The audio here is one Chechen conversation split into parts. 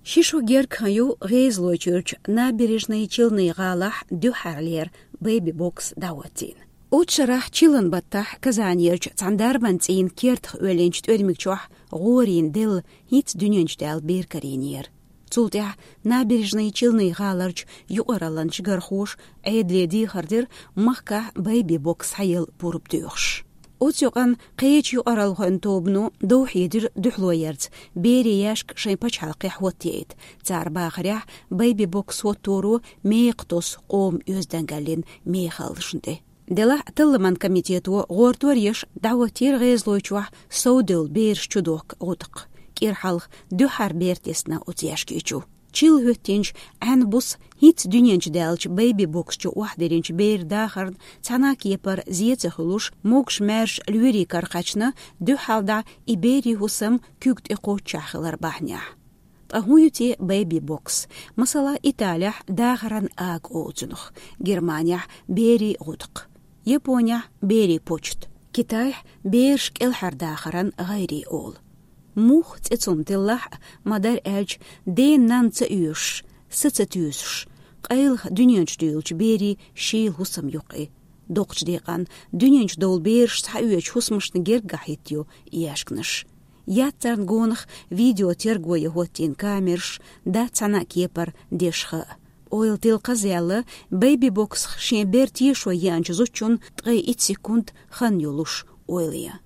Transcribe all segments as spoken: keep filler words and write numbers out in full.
Ши шо герга хан ю ГӀезалойчуьрчу Набережные Челны гӀалахь дуьххьарлера бэйби-бокс дӀахӀоттийна. Оцу шарахь чиллан баттахь Казанерчу цхьана дарбан цӀийнан кертах оьллинчу тӀоьрмиг чохь гӀорийна делла хӀинцца дуьнен чу даьлла бер карийнера. Цул тӀаьхьа Набережные Челны гӀаларчу юкъараллан чигархоша Ӏедале дехар дира махкахь бэйби-бокс схьаелла пурба доьхуш. Оцу юкъанна кхечу юкъаралхойн тобано дов хьедира дуьхьало ярца, берийн яьшка шайн пачхьалкхехь хӀоттаяйта. Цара бахарехь, бэйби-бокс хӀотторо мекха тосу къоман оьздангаллин мехаллашна тӀе. Делахь а талламан комитето гӀортор а еш дӀахӀоттийра ГӀезалойчохь совдевлла бераш чудохка гӀутакх. КӀира хьалха дуьххьара бер тесна оцу яьшки чу. Чилла хӀоьттинчу Ӏаьнан буса хӀинцца дуьнен чу даьллачу бэйби-бокс чу охьадиллинчу берийн дахарна цхьана а кепара зе ца хуьлуш, могуш-маьрша лоьрийн кара кхаьчна, дуьххьалдӀа и берийн хӀусам куьг тӀе кхоччехь хилар бахьанехь. Ткъа хӀун ю те бэйби-бокс? Масала, Италехь дахаран ага олу цунах, Германехь берийн гӀутакх, Японехь берийн почта, Китайхь бераш кӀелхьардахаран гӀайре олу. Муха цӀе цунна тиллахь а, ма-дарра аьлча, ден-нанна ца оьшуш, са ца туьйсуш, къайлаха дуьнен чу дуьйлучу берийн шийла хӀусам ю-кх и. Доккхачу декъанна дуьнен чу долу бераш схьаоьцучу хӀусамашна гергахь хӀиттаю и яьшканаш. Яц царна гонах видео терго ян хӀоттийна камераш, дац цхьана а кепара дешха а. Ойла тилкхазъяьлла, бэйби-боксах шен бер тешо еанчу зудчунна ткъе итт секунд хан ю луш ойла ян.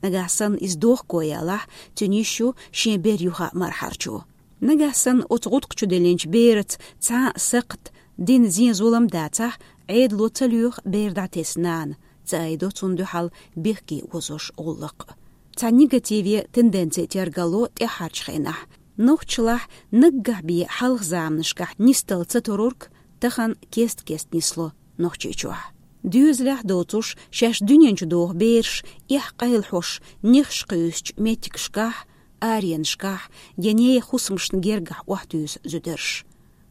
Нагахь санна иза дохко ялахь, цуьнан йиш ю шен бер юха а мархьарчо. Нагахь санна оцу гӀутакх чу диллинчу бераца цхьа а сакхт, дина зен-зулам дацахь, Ӏедало ца лоьху бер дӀатесна нана, ца айдо цунна дуьхьал бехке озош гӀуллакх. Цхьа негативе тенденци тергалло тӀаьххьарчу хенахь. Нохчалахь наггахь бен хьалха заманашкахь нисдала ца турург тахана кест-кест нисло Нохчийчохь. Доьзалехь доцуш, шаьш дуьнен чу доху бераш эхь къайлахьош, нехаш кхуьйсучу меттигашкахь, аренашкахь я нехан хӀусамашна гергахь охьатуьйсу зударш.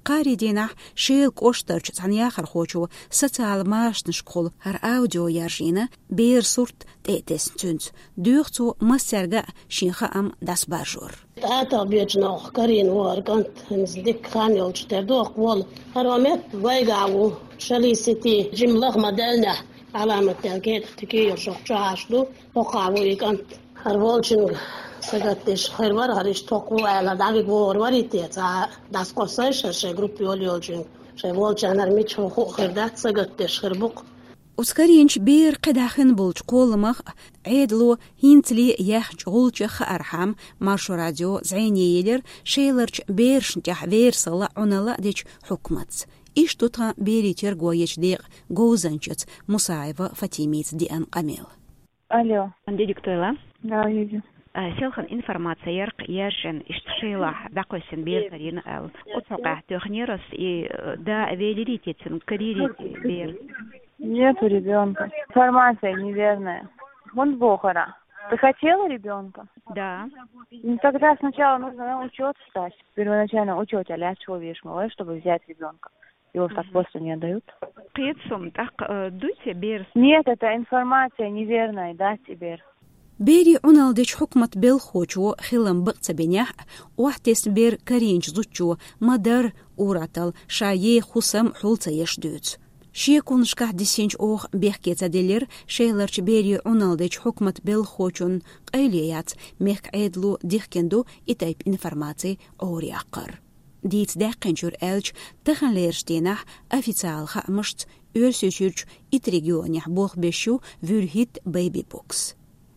Кхаарин дийнахь Шелан кӀоштарчу цхьана яхархочо социалан машанашкахула хӀара аудио яржийна, беран сурт тӀе а тесна цуьнца, доьху цо массаьрга а шен хаам дӀасабаржор. ТӀатагӀа бечу нохах карийна ву хӀара кӀант, хӀинца дикка хан йолчу тера дохку волу. ХӀара метта вайгахь ву, шалий ситий, жима лаха ма-даьллинехь, Ӏаламат дел кетӀахь тики йолуш чохь Ӏаш ду, хӀокхахь ву и кӀант. ХӀара волчуьнга сагатдеш хир вара, хӀара иштта хӀокху аьлла, дӀавига вогӀур варий те, цхьа дӀасакхоссайша шайн группа йолу йолчуьнга. Шайн волчарна хӀара мичахь ву хуур хир дац, сагатдеш хир бу-кх. Оцу карийначу беран кхидӀа хин болчу кхолламах а, Ӏедало хӀинцале яьхначу гӀулчах хаархьама, Маршо радио зӀене елира Шеларчу берашна тӀехь верасалла, Ӏуналла дечу хьукматца. Иштта ду тхан берийн терго ечу декъан говзанчаца Мусаева Фатимица деана къамел. Алло. Дедик Тойла? Да, видео. А, селхана информация ярх яьржина, иштта Шелахь дӀакхоьссина бер карийна аьлла. Оцу хьокъехь тоьхнера ас и, э, да а велирий те, цуьнан карийрий те бер? Нету ребёнка. Информация неверная. ХӀунда боху хӀара? Ты хотела ребёнка? Да. Ну, тогда сначала нужно на учёт встать. Первоначально учёт, а легче вешмалой, чтобы взять ребёнка. Его ж так просто не отдают. Кхеташонна тӀаккха, э, дуй те берас? Нет, это информация неверная, да, тебе. Берийн Ӏуналла дечу хьукматан белхахочо хилам бакъ ца бинехь а, охьатесна бер карийначу зудчо ма-дарра ур-атталла ша еха хӀусам хьул ца еш дуьйцу. Шеконашкахь диссинчу оха бехке ца делира Шеларчу берийн Ӏуналла дечу хьукматан белхахочунна, къайле яц мехкан Ӏедало дихкина ду и тайпа информаци Ӏоврияккхар. Дийца даьккхинчуьра аьлча, таханлерчу дийнахь официалан хаамашца Оьрсийчуьрчу итт регионехь болх беш ю вуьрхӀитта бэйби-бокс.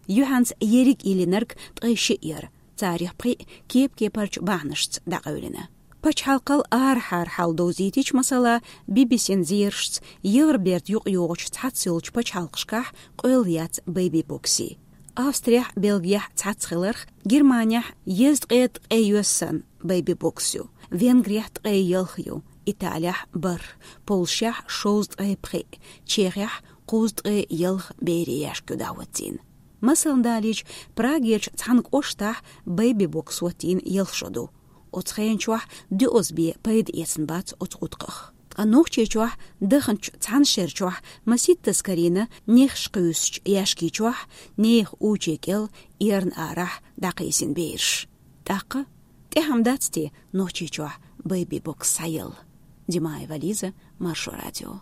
Юьхьанца ерриг йиллинарг ткъе шиъ яра, царах пхиъ кеп-кепарчу бахьанашца дӀакъевлина. Пачхьалкхал арахьара хьал довзийтича, масала, Би-Би-Син зерашца, Евробертан юкъайогӀучу цхьацца йолчу пачхьалкхашкахь къоьлла яц бэйби-боксий. Австрехь, Бельгехь цхьацца хиларх, Германехь езткъе ткъе йоьссан бэйби-бокс ю, Венгрехь ткъе ялх ю, Италехь бархӀ, Полшехь шовзткъе пхиъ, Чехехь кхузткъе ялх берийн яьшка ю дӀахӀоттийна. Масала далийча, Прагерчу цхьана кӀоштахь бэйби-бокс хӀоттийна ялх шо ду. Оцу хенан чохь доьазза бен пайда эцна бац оцу гӀутакхах. Ткъа Нохчийчохь дахначу цхьана шерачохь масийттаза карийна нехаш кхуьйсучу яьшкийн чохь, нехан учий кӀел, эрна арахь дӀакхийсина бераш. ТӀаккха ТӀехьа-м дац те нохчий чохь бэйби-бокс схьаелла. Димаева Лиза, Маршо радио.